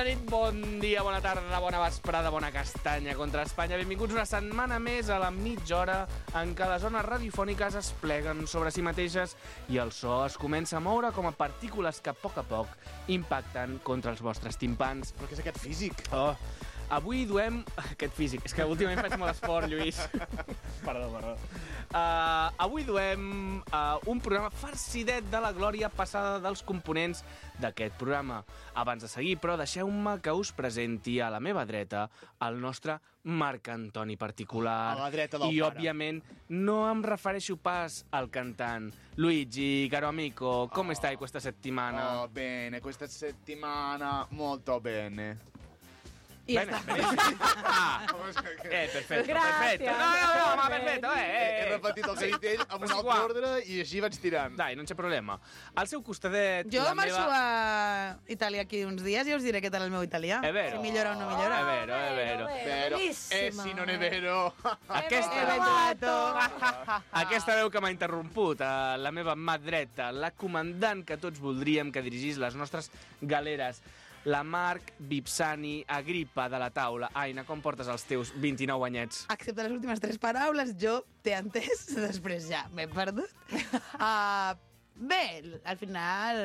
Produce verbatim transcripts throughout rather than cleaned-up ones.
nit, bon dia, bona tarda, bona vesprada, bona castanya contra Espanya. Benvinguts una setmana més a la mitja hora en què les zones radiofòniques es pleguen sobre si mateixes i el so es comença a moure com a partícules que a poc a poc impacten contra els vostres timpans. Però què és aquest físic? Oh, avui duem... Aquest físic. És que últimament faig molt esport, Lluís. Perdó, perdó. Uh, avui duem uh, un programa farcidet de la glòria passada dels components d'aquest programa. Abans de seguir, però, deixeu-me que us presenti a la meva dreta el nostre Marc Antoni particular. A la dreta del I, pare. òbviament, no em refereixo pas al cantant. Luigi, caro amico, come Oh. stai questa settimana? Oh, bene, questa settimana molto bene. I ja Bene, està. benissimo. Ah, eh, perfetto, Gràcies. perfetto. No, no, no, ma perfetto, eh, He, eh. he repetit el que ha dit ell amb un Sì, altre qua. ordre i així vaig tirant. Dai, non c'è problema. Al seu costadet, Jo la marxo meva... a Itàlia aquí uns dies i us diré què tal el meu italià. È vero. Si millora o no millora. È vero, è vero. Però, eh, si non è vero. Aquesta, He trovato. aquesta veu que m'ha interromput, eh, la meva mà dreta, la comandant que tots voldríem que dirigís les nostres galeres, la Marc Vipsani Agripa de la taula. Aina, com portes els teus vint-i-nou anyets? Excepte les últimes tres paraules, jo t'he entès, després ja m'he perdut. Uh, bé, al final,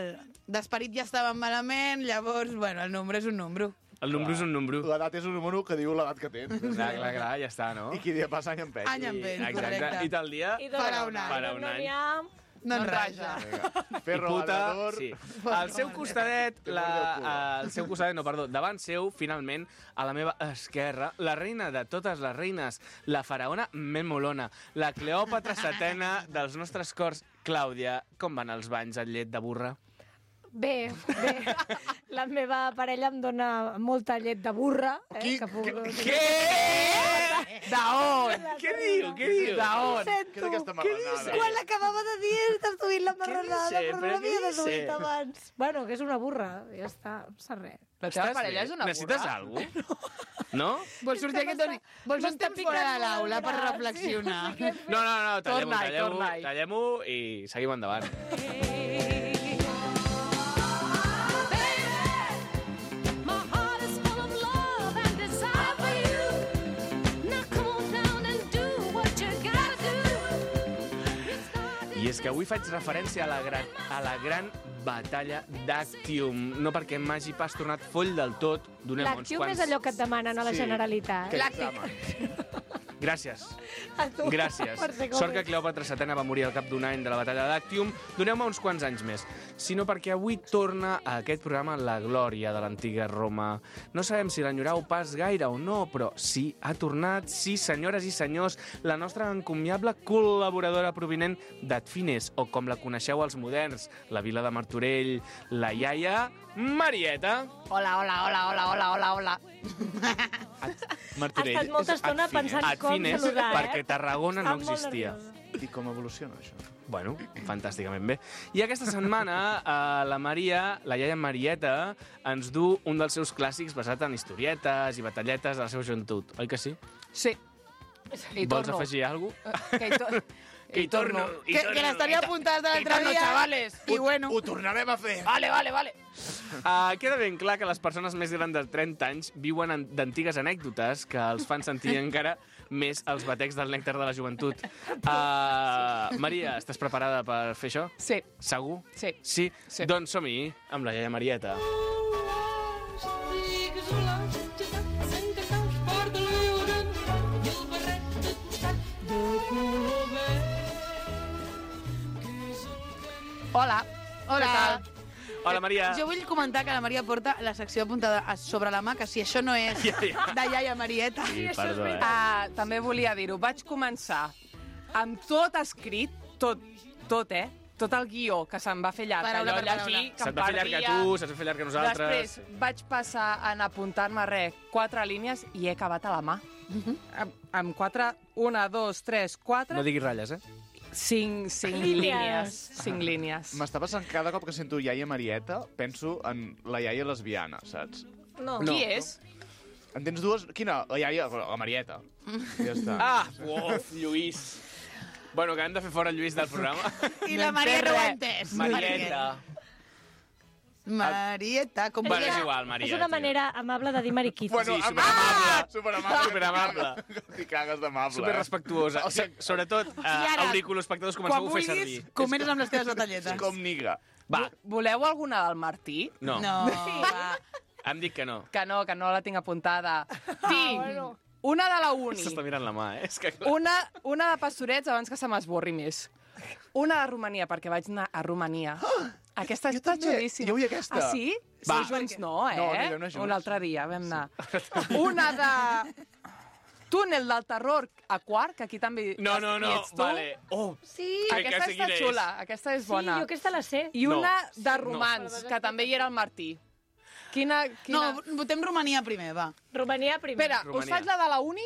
d'esperit ja estàvem malament, llavors, bueno, el nombre és un número. El número és un número. L'edat és un número que diu l'edat que tens. Clar, clar, clar, ja està, no? I qui dia passa any empeny. Any empeny, Exacte. correcte. I tal dia? I dona Farà un any. Farà un any. No en raja. Ferro, I puta, labrador. sí. Al seu costadet, la, al seu costadet, no, perdó, davant seu, finalment, a la meva esquerra, la reina de totes les reines, la faraona Memolona, la Cleòpatra setena dels nostres cors. Clàudia, com van els banys al llet de burra? Bé, bé. La meva parella em dona molta llet de burra. Eh, Qui- que puc... Què? D'on? Què diu? Què diu? Ho D'on? Què és sento. aquesta marranada? Quan l'acabava de dir, t'has duit la marranada, dice? però no Però l'havia què de duit dice? abans. Bueno, que és una burra, ja està, no passa res. La teva parella és una Necessites burra? alguna cosa? No? Vols sortir aquest doni? Vols un M'està temps fora de picant l'aula molt per el braç, reflexionar? sí, no sé què fer. No, no, no, tallem-ho, Torna-hi, tallem-ho, torna-hi. tallem-ho i seguim endavant. I és que avui faig referència a la gran, a la gran batalla d'Actium. No perquè m'hagi pas tornat foll del tot, donem uns L'actium quants... és allò que et demanen a la Sí. Generalitat. Que Làctic. examen. Gràcies. A tu, Gràcies. per ser com Sort que ets. Cleòpatra setena va morir al cap d'un any de la batalla d'Actium. Doneu-me uns quants anys més. Sinó perquè avui torna a aquest programa la glòria de l'antiga Roma. No sabem si l'enyorau pas gaire o no, però sí, ha tornat, sí, senyores i senyors, la nostra encomiable col·laboradora provinent d'Adfines, o com la coneixeu els moderns, la vila de Martorell, la iaia Marieta. Hola, hola, hola, hola, hola, hola, hola. Martorell. Ha estat molta és estona Adfines. pensant com Adfines, saludar, eh? perquè Tarragona no Està molt existia. nerviosa. I com evoluciona, això? Bueno, fantàsticament bé. I aquesta setmana eh, la Maria, la iaia Marieta, ens du un dels seus clàssics basat en historietes i batalletes de la seva joventut. Oi que sí? Sí. I Vols torno. afegir alguna cosa? Que hi, to Que hi torno, hi Que, torno. que les tenia apuntades de l'altre torno, dia. chavales. I bueno. Ho tornarem a fer. Vale, vale, vale. Uh, queda ben clar que les persones més grans de trenta anys viuen en- d'antigues anècdotes que els fan sentir encara més els batecs del nèctar de la joventut. Uh, Maria, estàs preparada per fer això? Sí. Segur? Sí. Sí? Sí. Doncs som-hi amb la iaia Marieta. Hola. Hola. Hola, Maria. Jo vull comentar que la Maria porta la secció apuntada a- sobre la mà, que si això no és Ja, ja. de iaia Marieta. Sí, perdó, eh? Uh, també volia dir-ho. Vaig començar amb tot escrit, tot, tot, eh? Tot el guió, que se'm va fer llarg. Paraula allò per paraula. llegir, que Se't em va fer llarg a perdia. tu, se't va fer llarg a nosaltres. Després vaig passar en apuntar-me res, quatre línies, i he acabat a la mà. amb, amb quatre, una, dos, tres, quatre, No diguis ratlles, eh? cinc, cinc Línies. línies. Cinc línies. M'està passant cada cop que sento iaia Marieta, penso en la iaia lesbiana, saps? No. No. Qui és? En tens dues? Quina? La iaia? La Marieta. Ja està. Ah, uf, Lluís. Bueno, que hem de fer fora el Lluís del programa. I la Maria no ho ha entès. Marieta. Marieta, com Bueno, vulguis. és igual, Maria. És una tio. manera amable de dir mariquita. Bueno, Sí, am- superamable. Ah! Superamable. Superamable. T'hi cagues d'amable. Super eh? respectuosa. O sigui, sobretot, eh, ara, auriculoespectadors, Quan comenceu a fer vulguis, servir. comentes amb les teves batalletes. Com niga. Va, Voleu alguna del Martí? no. No, va. Em dic que no. Que no, que no la tinc apuntada. Tinc bueno. una de la uni, S'està mirant la mà, eh? És que... una, una de pastorets abans que se m'esborri més. Una de Romania, perquè vaig anar a Romania. Aquesta Jo està també. xulíssima. Jo vull aquesta. Ah, sí? Va. Sí, junts no, eh? No, no hi vam anar junts. Un altre dia vam anar. Una de Túnel del Terror a Quart, que aquí també No, no, hi no, ets tu. vale. Oh, Sí, Crec que Aquesta sé està quina és. xula, aquesta és sí, bona. jo aquesta la sé. I una No. de romans, que també hi era el Martí. Quina... quina... No, votem Romania primer, va. Romania primer. Espera, us Romania. faig la de la uni?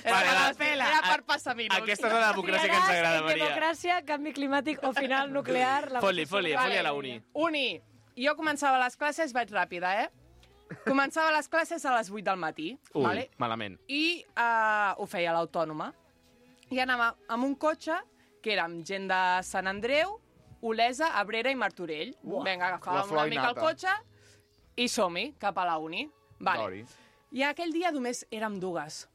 Era, Vale, la- per, era per passar minuts. aquesta és la democràcia que ens agrada, Maria. Democràcia, canvi climàtic o final nuclear. La Foli, foli, Vale. foli a la uni. Uni. Jo començava les classes, vaig ràpida, eh? Començava les classes a les vuit del matí. Ui, vale? malament. I uh, ho feia a l'autònoma. I anava amb un cotxe que érem gent de Sant Andreu, Olesa, Abrera i Martorell. Uah, Vinga, la agafàvem flor una mica el innata. cotxe i som-hi, cap a la uni. Vale. Dori. I aquell dia només érem dues.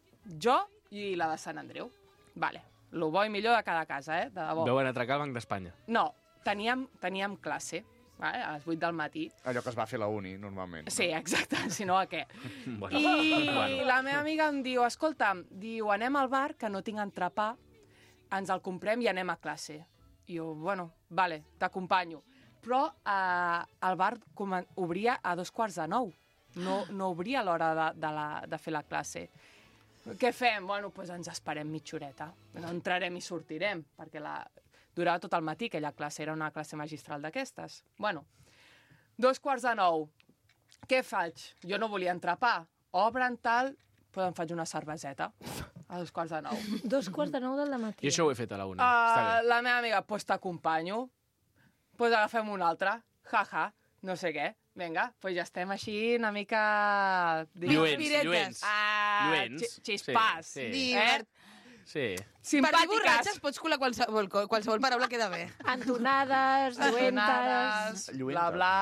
Jo i la de Sant Andreu. Vale. Lo bo i millor de cada casa, eh? De debò. Veuen atracar el Banc d'Espanya. No, teníem, teníem classe, vale? A les vuit del matí. Allò que es va fer a la uni, normalment. Sí, exacte, si no a què? Bueno, I bueno. la meva amiga em diu, escolta, diu, anem al bar, que no tinc entrepà, ens el comprem i anem a classe. I jo, bueno, vale, t'acompanyo. Però eh, el bar comen- obria a dos quarts de nou. No, no obria a l'hora de, de, la, de fer la classe. Què fem? Bueno, doncs ens esperem mitja horeta. No entrarem i sortirem, perquè la... durava tot el matí, aquella classe, era una classe magistral d'aquestes. Bueno, dos quarts de nou. Què faig? Jo no volia entrepà. Obren tal, però em faig una cerveseta a dos quarts de nou. Dos quarts de nou del matí. I això ho he fet a la uni. Està Uh, bé. la meva amiga, doncs pues t'acompanyo. Doncs pues agafem una altra. Jaja, no sé què. Vinga, doncs pues ja estem així una mica... Lluents, Piretes. lluents. Ah, Lluents. xi- xispàs. Sí, sí. Divert. Sí. Per dir borratxes Simpàtiques. pots colar qualsevol, qualsevol paraula queda bé. Entonades, lluentes... Donades, bla, Lluenta. bla...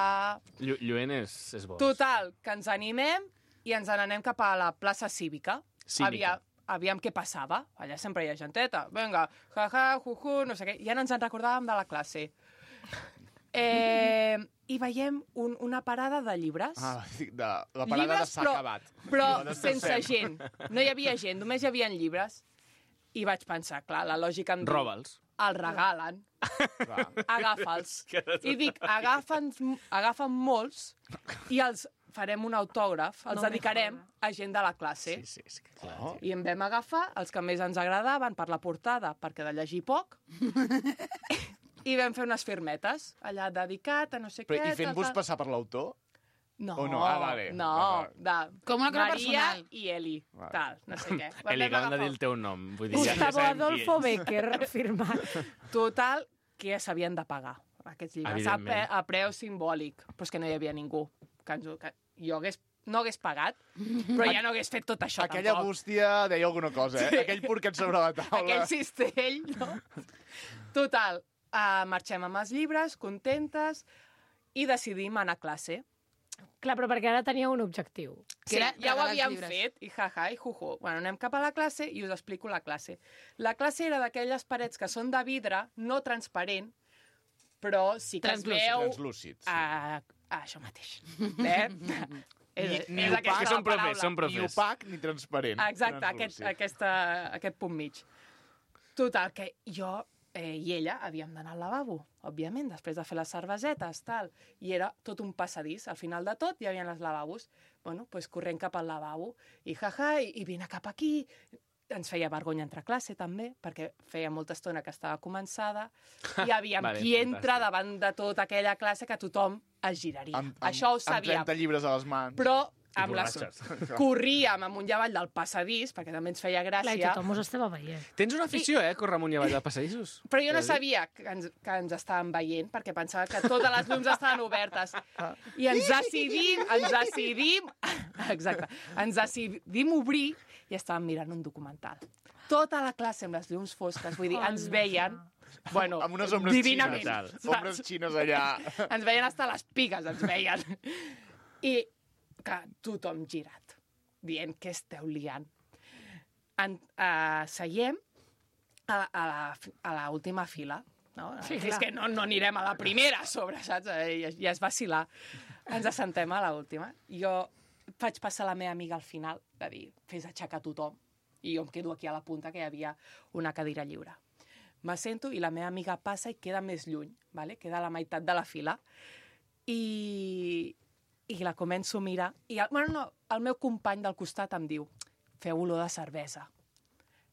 Llu lluent és, és bo. Total, que ens animem i ens n'anem cap a la plaça cívica. Cívica. Aviam, aviam què passava. Allà sempre hi ha genteta. Vinga, jaja, juju, no sé què. Ja no ens en recordàvem de la classe. Eh, I veiem un, una parada de llibres. Ah, de, la parada llibres, de s'ha però, acabat. però No, descansem. sense gent. No hi havia gent, només hi havia llibres. I vaig pensar, clar, la lògica em diu... Roba'ls. El regalen. Va. Agafa'ls. I dic, agafen, agafen molts i els farem un autògraf, els No me dedicarem joda. a gent de la classe. Sí, sí, és que clar. Oh. I en vam agafar els que més ens agradaven per la portada, perquè de llegir poc, i vam fer unes firmetes, allà dedicat a no sé Però, què... I fent-vos tal, tal. passar per l'autor? No, o no? Ah, vale. no, Vale. de Com una cosa Maria personal. i Eli, Vale. tal, no sé què. Vam Eli, acabem de agafar- dir el teu nom. Vull dir, ja, ja Gustavo sabem qui Adolfo ets. Becker, firmat. Total, que ja s'havien de pagar, aquests llibres, a, Evidentment. pe, a preu simbòlic. Però és que no hi havia ningú. Que ens, ho- que jo hagués, no hagués pagat, però ja no hagués fet tot això Aquella tampoc. bústia deia alguna cosa, eh? Sí. Aquell porquet sobre la taula. Aquell cistell, no? Total, uh, marxem amb els llibres, contentes, i decidim anar a classe. Clar, però perquè ara tenia un objectiu. Que Sí, era ja ho regalar els havíem llibres. fet, i jaja, i juju. Bueno, anem cap a la classe i us explico la classe. La classe era d'aquelles parets que són de vidre, no transparent, però sí que es Translúcid. veu... Translúcid, sí. a, a això mateix. Eh? és, Ni- ni és opac. aquesta Que la són profes, paraula. són Ni profes. opac ni transparent. Exacte, aquest, Translúcid. aquesta, aquest punt mig. Total, que jo eh, i ella havíem d'anar al lavabo, òbviament, després de fer les cervesetes, tal. I era tot un passadís. Al final de tot hi havia els lavabos. Bueno, doncs corrent cap al lavabo. I jaja, i, i vine cap aquí. Ens feia vergonya entrar a classe, també, perquè feia molta estona que estava començada. I aviam Vale, qui entra fantàstic. davant de tota aquella classe que tothom es giraria. Amb, amb, Això ho amb sabíem. trenta llibres a les mans. Però amb les... borratxes. corríem amunt i avall del passadís, perquè també ens feia Clar, i gràcia. tothom us estava veient. Tens una afició, eh, córrer amunt i avall de passadissos. Però jo no T'he de dir. sabia que ens, que ens estàvem veient, perquè pensava que totes les llums estaven obertes. I ens decidim, ens decidim... Exacte. Ens decidim obrir i estàvem mirant un documental. Tota la classe amb les llums fosques, vull dir, ens veien Bueno, amb unes ombres divinament. xines. saps? Ombres xines allà. Ens veien hasta les pigues, ens veien. I que tothom girat, dient que esteu liant. En, uh, seiem a, a, la, a la última fila. No? Sí, és clar. que no, no anirem a la primera a sobre, saps? Ja, ja es vacilar. Ens assentem a l'última. Jo faig passar la meva amiga al final, de dir, fes aixecar tothom. I jo em quedo aquí a la punta, que hi havia una cadira lliure. M'assento i la meva amiga passa i queda més lluny, ¿vale? Queda a la meitat de la fila. I, i la començo a mirar. I el, bueno, no, el meu company del costat em diu, feu olor de cervesa.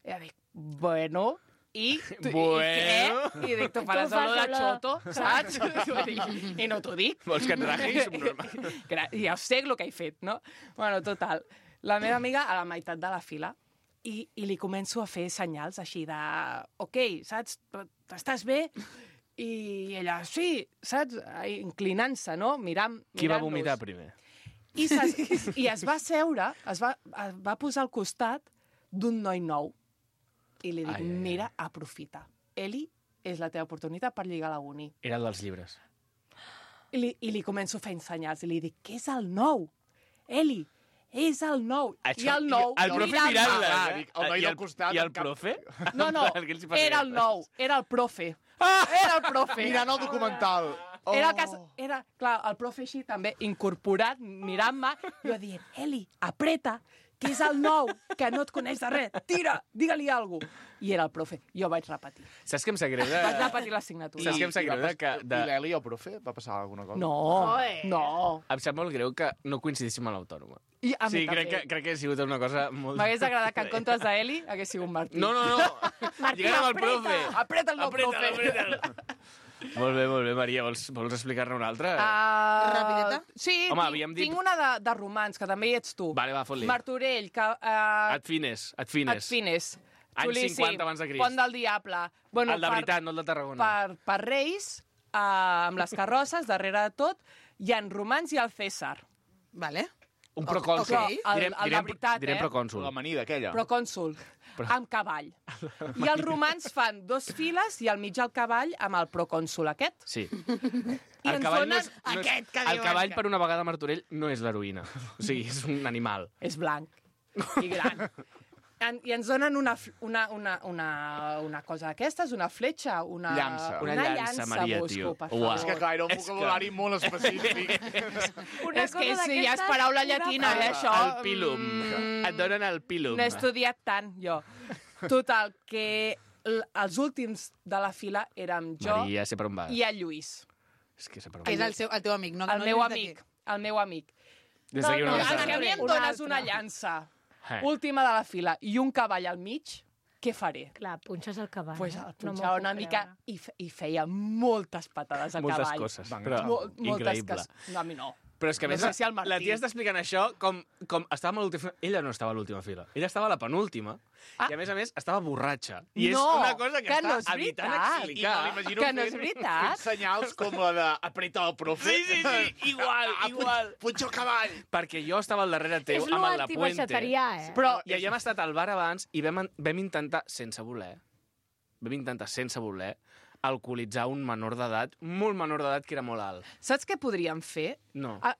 I jo dic, bueno... I, tu, Bueno. I què? I dic, tu faràs Tu fas olor de olor. xoto, saps? I no t'ho dic. Vols que et raji? Subnormal. Gra- Ja sé el que he fet, no? Bueno, total. La meva amiga a la meitat de la fila i, i li començo a fer senyals així de... Ok, saps? Estàs bé? I ella, sí, saps? Inclinant-se, no? Mirant, Qui va mirant-nos. vomitar primer? I, ses, I es va seure, es va, es va posar al costat d'un noi nou. I li dic, Ai, ai, ai. mira, aprofita. Eli, és la teva oportunitat per lligar a la uni. Era el dels llibres. I li, I li començo fent senyals. I li dic, què és el nou? Eli, és el nou. I el nou... El profe mirant-me. mirant-la. Ah, eh? dic, el noi I del costat, I el amb cap- profe? No, no, Què els hi passa? era el nou. Era el profe. Era el profe. Mirant el documental. Oh. Era, el cas, era, clar, el profe així també incorporat, mirant-me, jo dient, Eli, apreta, que és el nou, que no et coneix de res. Tira, digue-li alguna cosa. I era el profe. Jo vaig repetir. Saps què em sap greu? De... Vaig repetir l'assignatura. Saps què em sap I va greu? De... pas- Que, de... I l'Eli, el profe, va passar alguna cosa? No, Joder. no. Em sap molt greu que no coincidíssim a l'autònoma. I a mi Sí, crec també. que, crec que ha sigut una cosa molt... M'hagués agradat que en comptes d'Eli hagués sigut Martí. No, no, no. Martí, Lligant amb el apreta. profe. Apreta el nou profe. Apreta'l. Molt bé, molt bé, Maria. Vols, vols explicar-ne una altra? Uh, Rapideta? Sí, Home, tinc, havíem dit- tinc una de, de romans, que també hi ets tu. Vale, va, fot-li. Martorell, que... Uh, Et fines, et fines. et fines. Anys Xulíssim. cinquanta abans de Crist. Pont del Diable. Bueno, El de per- veritat, no el de Tarragona. Per, per Reis, uh, amb les carrosses, darrere de tot, hi ha romans i el César. Vale. Un procònsul. Ok. El- el de veritat, direm eh? procònsul. L'amanida aquella. Procònsul, amb cavall. I els romans fan dos files i al mig el cavall amb el procònsul aquest. Sí. I el ens cavall, donen no és, no és, aquest que el diuen cavall que- per una vegada, Martorell, no és l'heroïna. O sigui, és un animal. És blanc i gran. En, I ens donen una, f- una, una, una, una cosa d'aquestes, una fletxa, una... Llança. Una llança, Maria, busco, tio. per Uau. favor. És que, clar, era un És que- vocabulari molt específic. Una És que cosa sí, ja és d'aquestes, paraula una llatina, cosa. eh, això. El pilum. Mm, Et donen el pilum. No he estudiat tant, jo. Total, que l- els últims de la fila érem jo Maria, sé per on vas. i el Lluís, És que sé per on Que és vas. el, seu, el teu amic, no? el no meu dius de amic, qui. el meu amic. Des d'aquí No, una no, altra. és que a mi em Una dones altra. una llança, Eh. última de la fila, i un cavall al mig, què faré? Clar, punxes el cavall. Pues eh? el No m'ho punxava puc una mica creure. i, fe, i feia moltes patades a Moltes cavall. coses. Van, Però Mol, moltes increïble. coses. No, a mi no. Però és que, a No més, sé si el Martí- la tia està explicant això com, com estàvem a l'última... Ella no estava a l'última fila. Ella estava a la penúltima. Ah. I, a més a més, estava borratxa. I és No, una cosa que, que està no és evitant veritat. explicar. I me l'imagino Que no és fent- veritat. fent senyals com la de apreta el profe. Sí, sí, sí, igual, Ah, igual. Puig, puig el cavall. Perquè jo estava al darrere teu És amb lo el La Puente. antibaixaterià, eh? Però I havíem estat al bar abans i vam, vam intentar, sense voler, vam intentar, sense voler, alcoholitzar un menor d'edat, molt menor d'edat, que era molt alt. saps què podríem fer? No. Ah,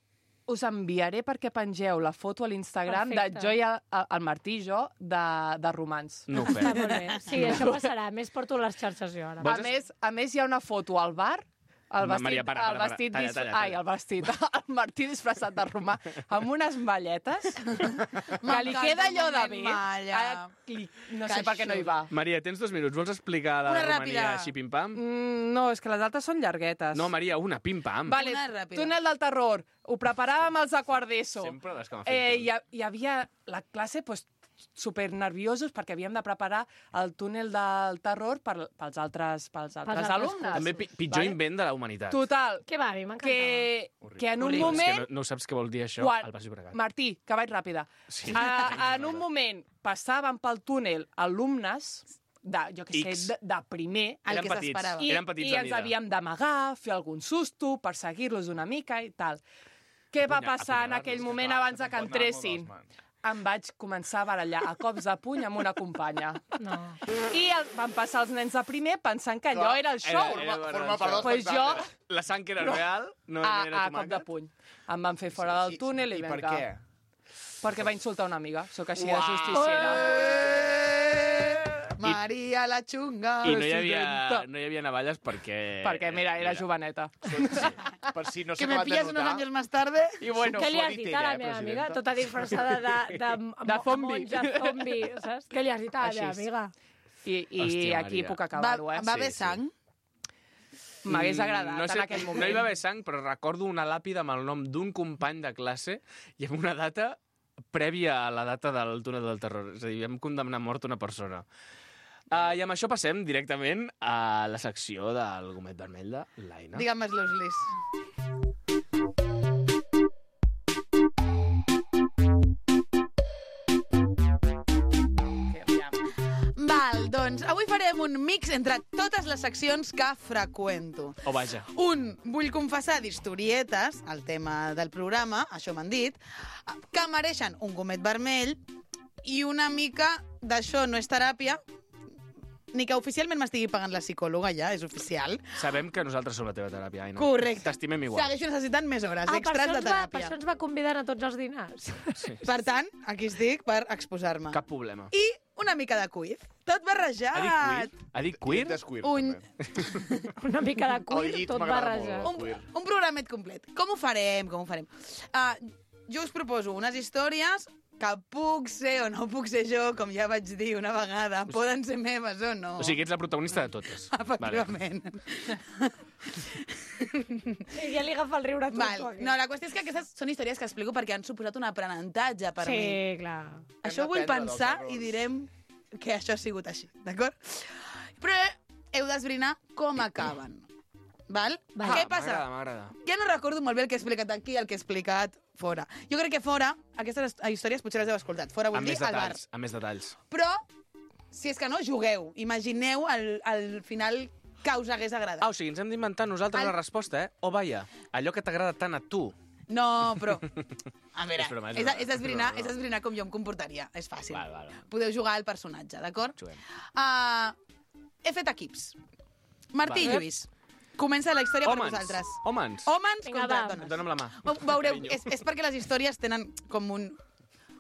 us enviaré perquè pengeu la foto a l'Instagram de Perfecte. jo i el, el Martí i jo de, de romans. No ho Està fem. molt bé. Sí, això passarà. A més, porto les xarxes jo ara. A més, a més, hi ha una foto al bar, el Ma- vestit, Maria, para, para, el para. vestit Talla, dis- talla, Ai, talla. el vestit, el Martí disfressat de romà, amb unes malletes, que li M'encanta queda el allò de moment bé. malla. Ah, li- No sé per què no hi va. Maria, tens dos minuts. Vols explicar la Una de Romania ràpida. així pim-pam? Mm, no, és que les altres són llarguetes. No, Maria, una, pim-pam. Vale, Una ràpida. túnel del terror. Ho preparàvem els de quart d'ESO. Sempre les que m'ha Eh, fet. hi, ha- hi havia la classe pues, super nerviosos perquè havíem de preparar el túnel del terror per, pels altres, pels altres altres alumnes. També pi pitjor Vale? invent de la humanitat. Total, Què va, a mi m'encantava. que, que en un Horrible. És que moment... no, no saps què vol dir això Quan- al Baix Llobregat. Martí, que vaig ràpida. Sí. A, en un moment passaven pel túnel alumnes de, jo què sé, X. de, de primer, El Eren que petits. s'esperava. i, Eren petits i de ens mida. havíem d'amagar, fer algun susto, perseguir-los una mica i tal. Què va Apunya- passar en apunyalar-los, aquell que moment Clar, abans se de que te'n pot anar molt entressin? de les mans. em vaig començar a barallar a cops de puny amb una companya. No. I el, van passar els nens de primer pensant que allò Clar, era el show. era- Forma, forma part del Pues jo, espectacle. La sang que era real, no a, era a cop de tomàquet. puny. Em van fer fora del túnel i, I per vinga. què? Perquè va insultar una amiga. Sóc així de Uau. justiciera. Maria la xunga. I no hi, havia, Presidenta. no hi havia navalles perquè... Perquè, mira, era joveneta. Per si no Que s'ha me acabat de pilles unos notar... años más tarde. I bueno, Què li has suaviter, dit a la eh, meva amiga? presidenta? Tota disfressada de, de, De zombi. monja zombi, saps? Què li has dit a la Així meva és. amiga? i, i Hòstia, aquí Maria. puc Va, acabar-ho, eh? va Sí, haver sí. sang? M'hagués agradat no sé, en aquell moment. No hi va haver sang, però recordo una làpida amb el nom d'un company de classe i amb una data prèvia a la data del túnel del terror. És a dir, vam condemnar a mort una persona. Uh, I amb això passem directament a la secció del gomet vermell de l'Aina. Digue'm els Lis. Val, doncs avui farem un mix entre totes les seccions que freqüento. O vaja. Un, vull confessar d'historietes, el tema del programa, això m'han dit, que mereixen un gomet vermell i una mica d'això no és teràpia, ni que oficialment m'estigui pagant la psicòloga ja, és oficial. Sabem que nosaltres som la teva teràpia, Aina. Correcte. T'estimem igual. Segueixo necessitant més hores Ah, per extras això, de ens va, per teràpia. això ens va convidar a tots els dinars. Sí. Per tant, aquí estic per exposar-me. Cap problema. I una mica de quiz. Tot barrejat. Ha dit queer? Ha dit queer? Descuir, Un- també. Una mica de El cuir, llit tot m'agrada barrejat. molt. Un, Queer. un programet complet. Com ho farem? Com ho farem? Uh, jo us proposo unes històries que puc ser o no puc ser jo, com ja vaig dir una vegada. Poden ser meves o no. O sigui, ets la protagonista de totes. Efectivament. I ja li agafa el riure a tot. Val. No, la qüestió és que aquestes són històries que explico perquè han suposat un aprenentatge per sí, mi. clar. Això ho vull d'aprendre dels pensar errors. i direm que això ha sigut així, d'acord? Però heu d'esbrinar com acaben. Val? Val. Què Ah, passa? M'agrada, m'agrada. Ja no recordo molt bé el que he explicat aquí i el que he explicat fora. Jo crec que fora, aquestes històries potser les heu escoltat. Fora vull Amb dir, més al bar. detalls, amb més detalls. Però, si és que no, jugueu. Imagineu al, al final que us hagués agradat. Ah, o sigui, ens hem d'inventar nosaltres El- la resposta, eh? O vaja, allò que t'agrada tant a tu. No, però... A veure, És broma, és és, broma. és, esbrinar, És broma. és esbrinar com jo em comportaria. És fàcil. Val, val, val. Podeu jugar al personatge, d'acord? Juguem. Uh, he fet equips. Martí Vale. i Lluís, comença la història per Hòmens, vosaltres. hòmens. Hòmens Vinga, contra va. dones. Dóna'm la mà. Ho veureu, Carinyo. és, és perquè les històries tenen com un,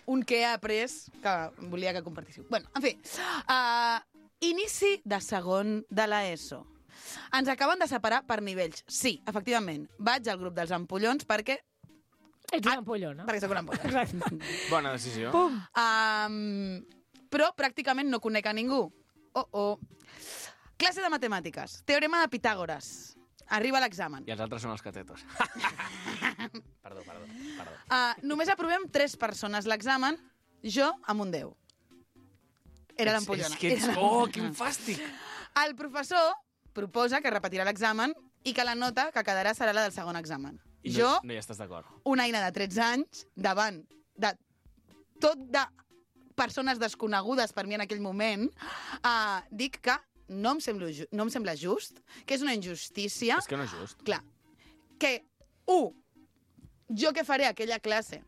un què he après que volia que compartíssiu. Bueno, en fi, uh, inici de segon de l'ESO. Ens acaben de separar per nivells. Sí, efectivament. Vaig al grup dels ampollons perquè, Ets un ampolló, no? perquè sóc un ampolló. Exacte. Bona decisió. Pum! Um, però pràcticament no conec a ningú. Oh, oh. Classe de matemàtiques. Teorema de Pitàgores. Arriba l'examen. I els altres són els catetos. perdó, perdó, perdó. Uh, només aprovem tres persones l'examen, jo amb un deu. Era l'ampollona. És que ets... Era Oh, l'ampollona. quin fàstic! El professor proposa que repetirà l'examen i que la nota que quedarà serà la del segon examen. I Jo, No, no hi estàs d'acord. una eina de tretze anys, davant de tot de persones desconegudes per mi en aquell moment, uh, dic que no em, sembla, ju- no em sembla just, que és una injustícia. És que no és just. Clar, que, un, jo què faré a aquella classe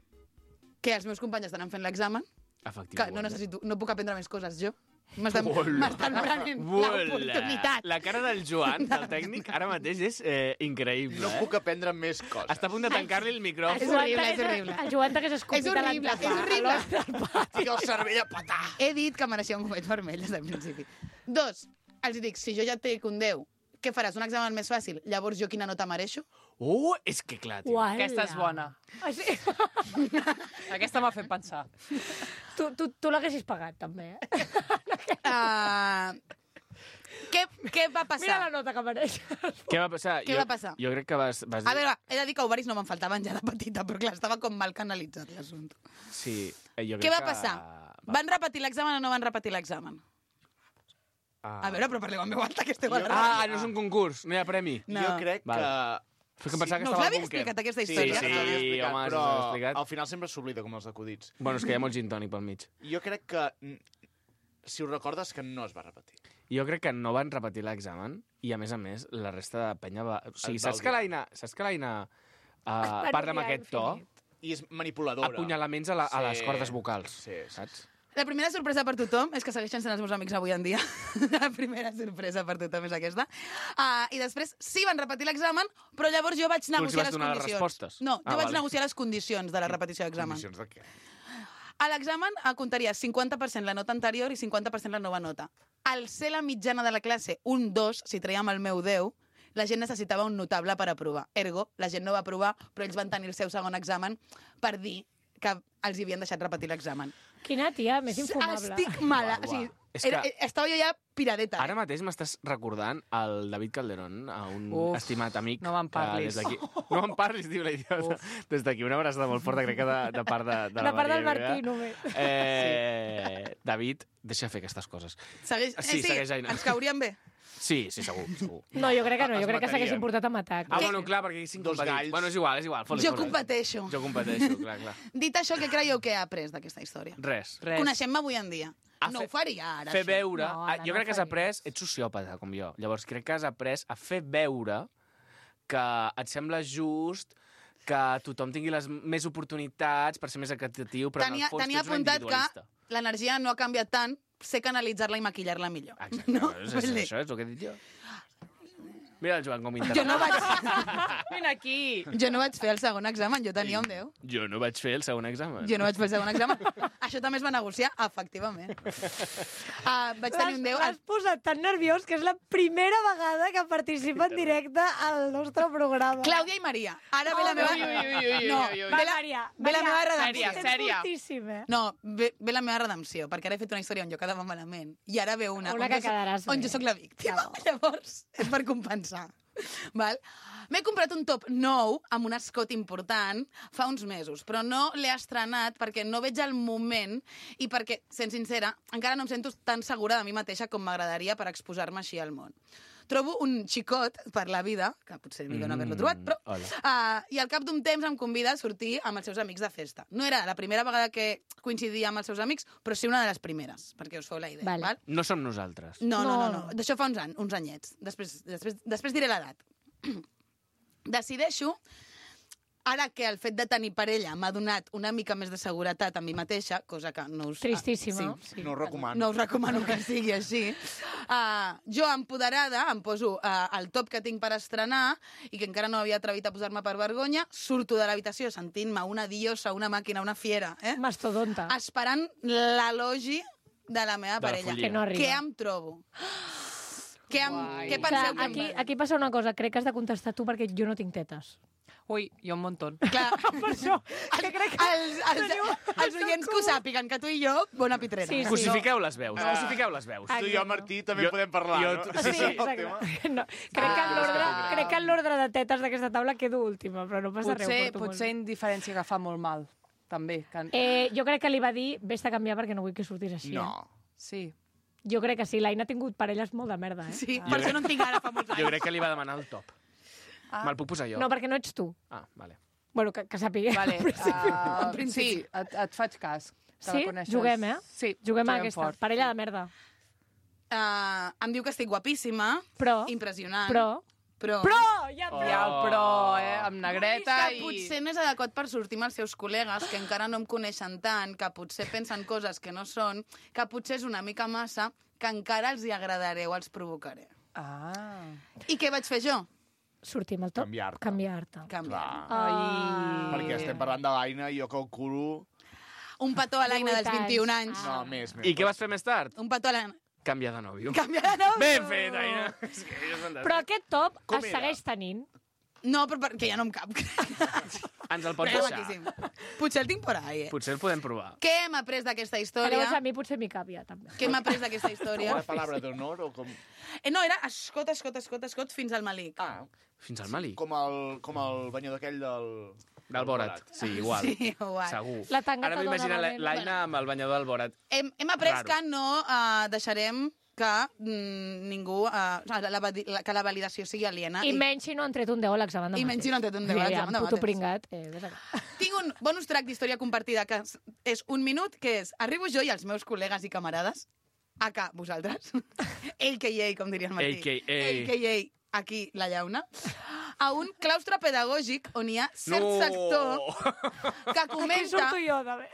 que els meus companys estan fent l'examen, Efectivament. que no necessito, no puc aprendre més coses jo. M'estan Hola. m'estan prenent Hola. l'oportunitat. La cara del Joan, del tècnic, ara mateix és eh, increïble. No eh? puc aprendre més coses. Està a punt de tancar-li el És micròfon. horrible, és horrible. El Joan t'hagués escopit És a horrible, l'endemà, és horrible. a l'hora del pa. Tinc el cervell a patar. He dit que mereixia un gomet vermell des del principi. Dos, els dic, si jo ja et dic un deu, què faràs, un examen més fàcil? Llavors jo quina nota mereixo? Oh, és que clar, tio. Uala. Aquesta és bona. Ah, sí? Aquesta m'ha fet pensar. Tu, tu, tu l'haguessis pagat, també, eh? Uh, què, què va Mira passar? la nota que mereix. Què va passar? Què jo, va passar? Jo crec que vas, vas dir... A veure, he de dir que ovaris no me'n faltaven ja de petita, però clar, estava com mal canalitzat l'assumpte. Sí, eh, jo crec Què va que... passar? Van repetir l'examen o no van repetir l'examen? Ah. A veure, però parleu en veu alta, que esteu al Jo- ràdio. Ah, no és un concurs, no hi ha premi. No. Jo crec Val. que... Fes que pensava que No us estava al l'havia búnquer. explicat, aquesta Sí, història? sí, ja t'havia explicat, home, però s'ho has explicat. al final sempre s'oblida, com els acudits. Bueno, és que hi ha molt gin tònic pel mig. Jo crec que, mm, si ho recordes, que no es va repetir. Jo crec que no van repetir l'examen i, a més a més, la resta de penya va... O sigui, Es va saps que odiar. l'Aina... Saps que l'Aina uh, van parla amb odiar aquest to? infinit. I és manipuladora. Apunyalaments a, la, a les Sí. cordes vocals, Sí, sí. saps? La primera sorpresa per tothom és que segueixen sent els meus amics avui en dia. La primera sorpresa per tothom és aquesta. Uh, I després sí van repetir l'examen, però llavors jo vaig els negociar vas les donar les condicions. respostes? No, jo Ah, vaig vale. negociar les condicions de la repetició d'examen. Condicions de què? A l'examen eh, comptaria cinquanta per cent la nota anterior i cinquanta per cent la nova nota. Al ser la mitjana de la classe un dos, si traiem el meu deu, la gent necessitava un notable per aprovar. Ergo, la gent no va aprovar, però ells van tenir el seu segon examen per dir que els hi havien deixat repetir l'examen. Quina tia més infumable. Estic mala. Uah, O sigui, uah. És era, que- estava jo ja piradeta. Ara mateix m'estàs recordant el David Calderón, a un Uf, estimat amic. no me'n que parlis. Des d'aquí... No me'n parlis, diu la idiota. Des d'aquí una abraçada molt forta, crec que de, de part de, de, De la part del Maria Martí, Vega. només. Eh, David, deixa fer aquestes coses. Segueix, Sí, eh, sí, segueix, Aina. ens caurien bé. Sí, sí, segur, segur. No, jo crec que no, Es jo crec que s'haguessin matarien. portat amb atac. Ah, bueno, clar, perquè hi cinc Dos competits. galls. Bueno, és igual, és igual. fot-li, Jo fot-li. competeixo. Jo competeixo, clar, clar. Dit això, què creieu que he après d'aquesta història? Res. Res. Coneixem-me avui en dia. A No fer- ho faria ara, Fer això. veure... No, ah, ara jo no crec que has faria. après... Ets sociòpata, com jo. Llavors, crec que has après a fer veure que et sembla just que tothom tingui les més oportunitats per ser més equitatiu, però Tenia, en el fons tenia tu ets una apuntat que individualista. l'energia no ha canviat tant, sé canalitzar-la i maquillar-la millor. Exacte, No? és, és, Vull dir, això és el que he dit jo. Mira el Joan com jo, interessa. no vaig, Vine aquí! jo no vaig fer el segon examen, jo tenia un deu. Jo no vaig fer el segon examen. Jo no vaig fer el segon examen. Això també es va negociar, efectivament. Uh, vaig tenir un deu. L'has posat tan nerviós que és la primera vegada que participa en directe al nostre programa. Clàudia i Maria. Ara ve la meva... Ui, ui, ui, ui, ui, No, ui, ui. ve la, Maria, ve la Maria, meva sèria, redempció. Tens sèria. fortíssim, eh? No, ve, ve la meva redempció, perquè ara he fet una història on jo quedava malament. I ara ve una, Una on, que jo, soc- quedaràs on bé. jo sóc la víctima. Llavors, és per compensar. Val? M'he comprat un top nou amb un escot important fa uns mesos, però no l'he estrenat perquè no veig el moment i perquè, sent sincera, encara no em sento tan segura de mi mateixa com m'agradaria per exposar-me així al món. Trobo un xicot per la vida, que potser millor no haver-lo trobat, però... Hola. Uh, I al cap d'un temps em convida a sortir amb els seus amics de festa. No era la primera vegada que coincidia amb els seus amics, però sí una de les primeres, perquè us feu la idea. Vale. Val? No som nosaltres. No, no, no. No. no. D'això fa uns, any, uns anyets. Després, després, després diré l'edat. Decideixo, ara que el fet de tenir parella m'ha donat una mica més de seguretat a mi mateixa, cosa que no us... Tristíssima. Ah, sí. No ho recomano. No us recomano que sigui així. Uh, jo, empoderada, em poso uh, el top que tinc per estrenar i que encara no havia atrevit a posar-me per vergonya, surto de l'habitació sentint-me una diosa, una màquina, una fiera, eh? Mastodonta. esperant l'elogi de la meva De la parella. follia. Que no arriba. Què em trobo? Què, em, Guai. què Clar, penseu que aquí, em... aquí passa una cosa, crec que has de contestar tu perquè jo no tinc tetes. Ui, jo un montón. Clar, Per això, que crec que... els, els, els oients que ho sàpiguen, que tu i jo, bona pitrera. Sí, sí. Cosifiqueu les veus, Ah. cosifiqueu les veus. Tu i jo, Martí, també Jo- podem parlar, jo- no? sí, sí, El tema. exacte. No, crec, que en l'ordre, crec que en l'ordre de tetes d'aquesta taula quedo última, però no passa Potser, res. ho porto potser molt indiferència que fa molt mal, també. Que... bé. Eh, jo crec que li va dir, vés a canviar perquè no vull que surtis així. No. Eh? Sí. Jo crec que sí, l'Aina ha tingut parelles molt de merda, eh? Sí, per això no en tinc ara fa molts Jo anys. crec que li va demanar el top. Ah. Me'l puc posar jo? No, perquè no ets tu. Ah, vale. Bueno, que, que sàpiga. Vale, uh, principi. sí, et, et faig cas. Que Sí? la coneixes. Juguem, eh? Sí, Juguem a aquesta. fort. Parella de merda. Uh, em diu que estic guapíssima, Però, impressionant. però... Però... Però! Ja, Oh. però! Hi ha el però, eh? Amb negreta que i... potser no és adequat per sortir amb els seus col·legues, que encara no em coneixen tant, que potser pensen coses que no són, que potser és una mica massa, que encara els hi agradaré o els provocaré. Ah. I què vaig fer jo? Sortir amb el top. Canviar-te. Canviar-te. Canviar. Clar. Ai. Perquè estem parlant de l'Aina i jo calculo... Un petó a l'Aina dels divuit vint-i-un anys. anys. No, més, més. I què vas fer més tard? Un petó a l'Aina... Canviar de nòvio. Canviar de nou? Ben fet, Aina. És que és fantàstic. Però aquest top Com es era? segueix tenint. No, però perquè ja no em cap. Ens el pots Era deixar. maquíssim. Potser el tinc por ahí, eh? Potser el podem provar. Què hem après d'aquesta Però història? llavors a mi potser m'hi cap ja, també. Què hem après d'aquesta història? Una paraula d'honor o com... Eh, no, era escot, escot, escot, escot, fins al malic. Ah, Fins al Mali. com el, com el banyador aquell del... Del Borat. Sí, igual. Sí, igual. Segur. La tanga Ara te m'imagino dona la- valent. l'Aina amb el banyador del Borat. Hem, hem après Raro. que no uh, deixarem que mm, ningú... Uh, la, la, la, que la validació sigui aliena. I menys si no han tret un deu a l'examen de I menys si no han tret un deu a l'examen de Puto mates. pringat. Eh, ves acá. Tinc un bonus track d'història compartida que és- és un minut, que és arribo jo i els meus col·legues i camarades, aka vosaltres, a k a, com diria el Martí. A K A. A K A aquí la llauna, a un claustre pedagògic on hi ha cert No. sector que Aquí comenta surto jo, també.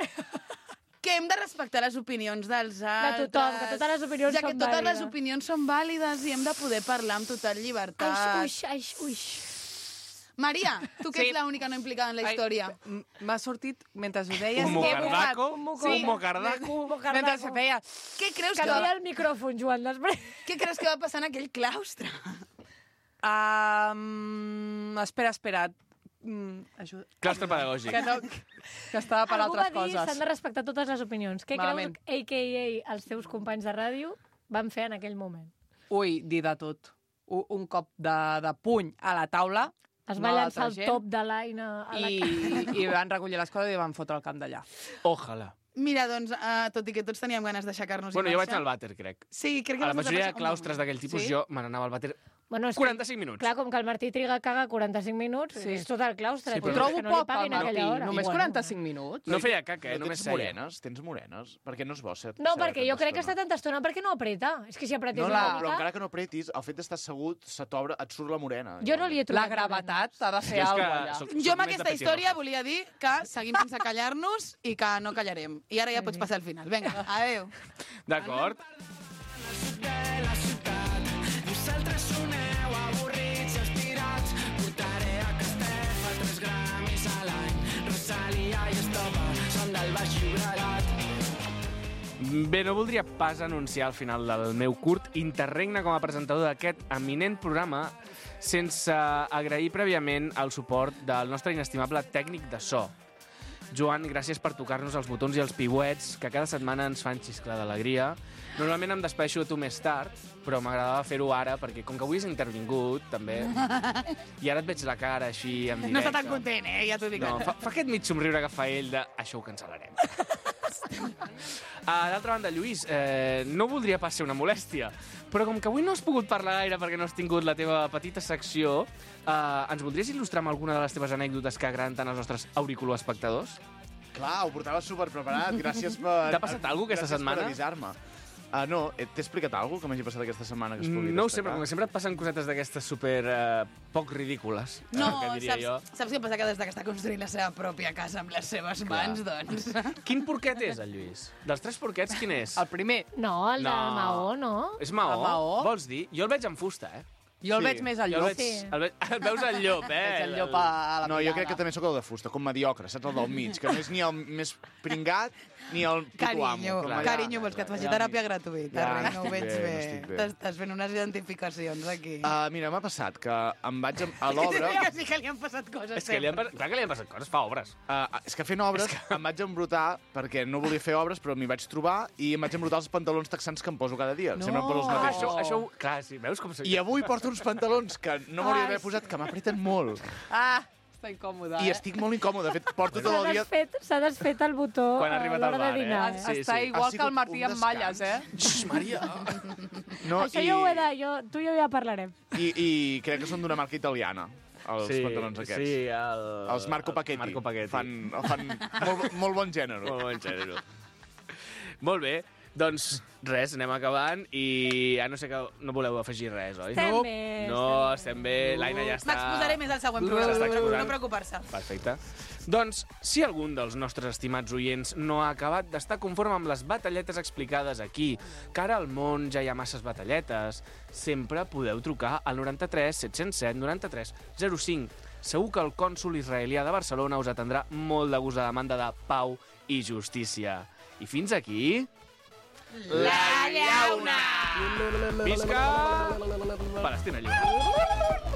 que hem de respectar les opinions dels altres. tothom, que totes les opinions ja que són totes les vàlides. opinions són vàlides i hem de poder parlar amb total llibertat. Ai, uix, ai, uix. Maria, tu que Sí. ets l'única no implicada en la Ai, història. m- M'ha sortit, mentre ho deies... Un que he buscat- mocardaco? un Un mocardaco. mocardaco? Un mocardaco. Mentre se feia... Què creus, que Canvia va, el micròfon, Joan, després. què creus que va passar en aquell claustre? Um, espera, espera. Mm, ajuda. Claustre pedagògic. Que, no, que estava per Algú va altres dir s'han coses. de respectar totes les opinions. Què Malament. creus, a ca a els teus companys de ràdio van fer en aquell moment? Ui, dir de tot. Un, un cop de, de puny a la taula Es No, va l'altra llançar el gent. top de l'Aina a la i, i van recollir les coses i van fotre el camp d'allà. Ojalà. Mira, doncs, uh, tot i que tots teníem ganes d'aixecar-nos Bueno, i jo vaig marxar... anar al vàter, crec. Sí, crec que A la vas majoria de desaparèixer claustres com un d'aquell tipus Sí? jo me n'anava al vàter Bueno, és que, quaranta-cinc minuts. clar, com que el Martí triga a cagar quaranta-cinc minuts, Sí. és tot el claustre. Sí, tio, però- és Trobo que no poc li paguen pel a aquella Martí. hora. Només Bueno. quaranta-cinc minuts? No feia caca, eh? No Només tens seia. morenes? Tens morenes? Perquè no és bo ser... No, ser perquè jo tanta crec que està estona. tanta estona perquè no apreta. És que si apretés No, no, no, Clar. però encara que no apretis, el fet d'estar assegut, se t'obre, et surt la morena. Jo no li he trobat. La gravetat ha de fer Jo és que alguna cosa allà. soc- Jo amb més aquesta de història petirroja. volia dir que seguim sense callar-nos i que no callarem. I ara ja pots passar al final. Vinga, adeu. D'acord? Vosaltres soneu avorrits i estirats. Portaré a Castefa tres gramis a l'any. Rosalia i Estopa són del Baix Llobregat. Bé, no voldria pas anunciar al final del meu curt interregne com a presentador d'aquest eminent programa sense agrair prèviament el suport del nostre inestimable tècnic de so. Joan, gràcies per tocar-nos els botons i els piuets que cada setmana ens fan xisclar d'alegria. Normalment em despeixo de tu més tard, però m'agradava fer-ho ara, perquè com que avui has intervingut, també, i ara et veig la cara així en directe. No està tan content, eh? Ja t'ho dic. No, fa, fa aquest mig somriure que fa ell de això ho cancel·larem. Uh, D'altra banda, Lluís, eh, no voldria pas ser una molèstia, però com que avui no has pogut parlar gaire perquè no has tingut la teva petita secció, eh, ens voldries il·lustrar amb alguna de les teves anècdotes que agraden tant als nostres auriculoespectadors? Clar, ho portava superpreparat. Gràcies per... T'ha passat alguna cosa aquesta gràcies setmana? per avisar-me. Uh, no, eh, t'he explicat alguna cosa que m'hagi passat aquesta setmana que es pugui No ho sé, destacar? però com que sempre et passen cosetes d'aquestes super eh, poc ridícules, eh, No, que diria jo. saps, saps què passa? Que des que està construint la seva pròpia casa amb les seves mans, doncs... Quin porquet és, el Lluís? Dels tres porquets, quin és? El primer, No, el No. del Maó, no? És maó? El maó? Vols dir? Jo el veig en fusta, eh? jo el Sí. veig més al Jo el llop. veig, Sí. el veig, el veus el llop, eh? Veig el llop a la No, jo mirada. crec que també sóc el de fusta, com mediocre, saps? El del mig, que no és ni el més pringat ni el puto amo. Carinyo, com allà. carinyo, vols que et faci teràpia gratuïta? Ja, Res, no ho estic veig bé, no bé. estic bé. T'estàs fent unes identificacions aquí. Uh, mira, m'ha passat que em vaig a, a l'obra... Que sí que li han passat coses. És que li han, pas- clar que li han passat coses, fa obres. Uh, és que fent obres que... em vaig embrutar perquè no volia fer obres, però m'hi vaig trobar i em vaig embrutar els pantalons texans que em poso cada dia. No. Sempre em poso els Ah, mateixos. això, això, ho- clar, sí, veus com... I avui porto uns pantalons que no m'hauria Ah, d'haver posat, que m'apreten molt. Ah, està incòmode, I eh? estic molt incòmode. De fet, porto tot S'ha el dia... desfet, s'ha desfet el botó Quan ha a arribat l'hora al de bar, eh? dinar. Sí, Està sí. igual Ha que sigut el Martí un amb malles, eh? Xx, Maria! No, Això i, jo ho he de... Jo, tu i jo ja parlarem. i, I crec que són d'una marca italiana, els sí, pantalons aquests. Sí, el... Els Marco Paquetti. Marco Paquetti. Fan, fan molt, molt bon gènere. Molt bon gènere. Molt bé, doncs res, anem acabant i ja no sé que no voleu afegir res, oi? Estem no, bé, no, estem bé, l'Aina ja està... M'exposaré més al següent S'està programa, no, exposant. no preocupar-se. Perfecte. Doncs, si algun dels nostres estimats oients no ha acabat d'estar conforme amb les batalletes explicades aquí, que ara al món ja hi ha masses batalletes, sempre podeu trucar al noranta-tres set zero set noranta-tres zero cinc. Segur que el cònsol israelià de Barcelona us atendrà molt de gust a demanda de pau i justícia. I fins aquí... La llauna! Visca! Palestina lliure!